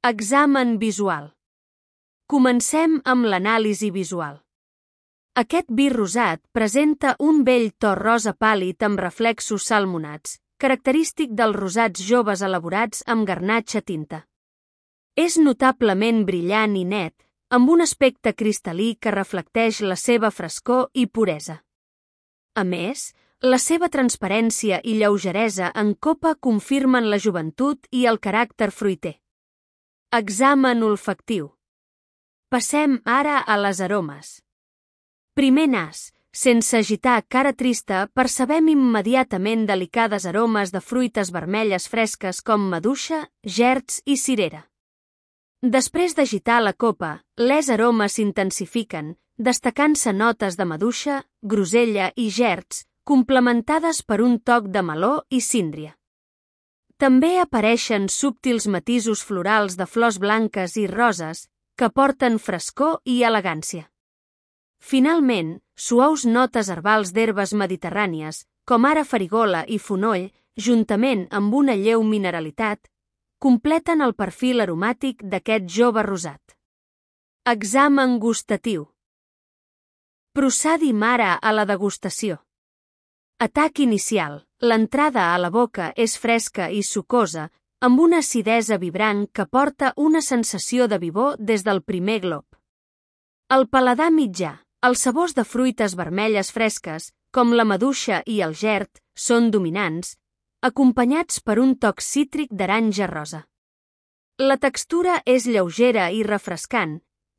Examen visual. Comencem amb l'anàlisi visual. Aquest vi rosat presenta un bell to rosa pàl·lid amb reflexos salmonats, característic dels rosats joves elaborats amb garnatxa tinta. És notablement brillant i net, amb un aspecte cristal·lí que reflecteix la seva frescor i puresa. A més, la seva transparència i lleugeresa en copa confirmen la joventut i el caràcter fruiter. Examen olfactiu. Passem ara a les aromes. Primer nas. Sense agitar cara trista, percebem immediatament delicades aromes de fruites vermelles fresques com maduixa, gerds i cirera. Després d'agitar la copa, les aromes s'intensifiquen, destacant-se notes de maduixa, grosella i gerds, complementades per un toc de meló i síndria. També apareixen subtils matisos florals de flors blanques i roses que porten frescor i elegància. Finalment, suaus notes herbals d'herbes mediterrànies, com ara farigola i fonoll, juntament amb una lleu mineralitat, completen el perfil aromàtic d'aquest jove rosat. Examen gustatiu. Procedim ara a la degustació. Atac inicial. L'entrada a la boca és fresca i sucosa, amb una acidesa vibrant que porta una sensació de vivor des del primer glop. El paladar mitjà. Els sabors de fruites vermelles fresques, com la maduixa i el gerd, són dominants, acompanyats per un toc cítric d'aranja rosa. La textura és lleugera i refrescant,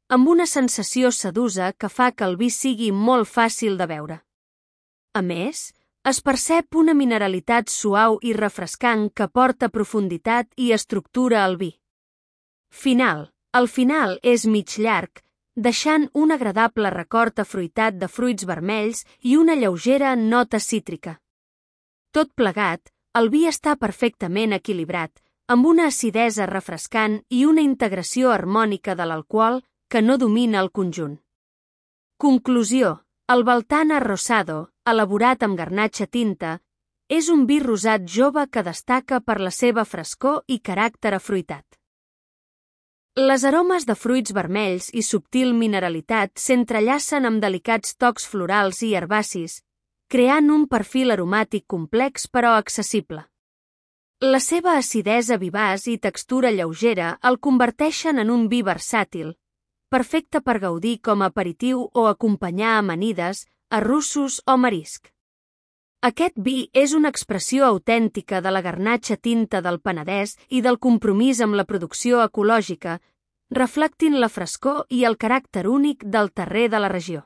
amb una sensació sedusa que fa que el vi sigui molt fàcil de beure. A més, es percep una mineralitat suau i refrescant que porta profunditat i estructura al vi. Final. El final és mig llarg, deixant un agradable record afruitat de fruits vermells i una lleugera nota cítrica. Tot plegat, el vi està perfectament equilibrat, amb una acidesa refrescant i una integració harmònica de l'alcohol que no domina el conjunt. Conclusió. El Baltana Rosado, elaborat amb garnatxa tinta, és un vi rosat jove que destaca per la seva frescor i caràcter afruitat. Les aromes de fruits vermells i subtil mineralitat s'entrellacen amb delicats tocs florals i herbacis, creant un perfil aromàtic complex però accessible. La seva acidesa vivaç i textura lleugera el converteixen en un vi versàtil, perfecte per gaudir com a aperitiu o acompanyar amanides, arrossos o marisc. Aquest vi és una expressió autèntica de la garnatxa tinta del Penedès i del compromís amb la producció ecològica, reflectint la frescor i el caràcter únic del terrer de la regió.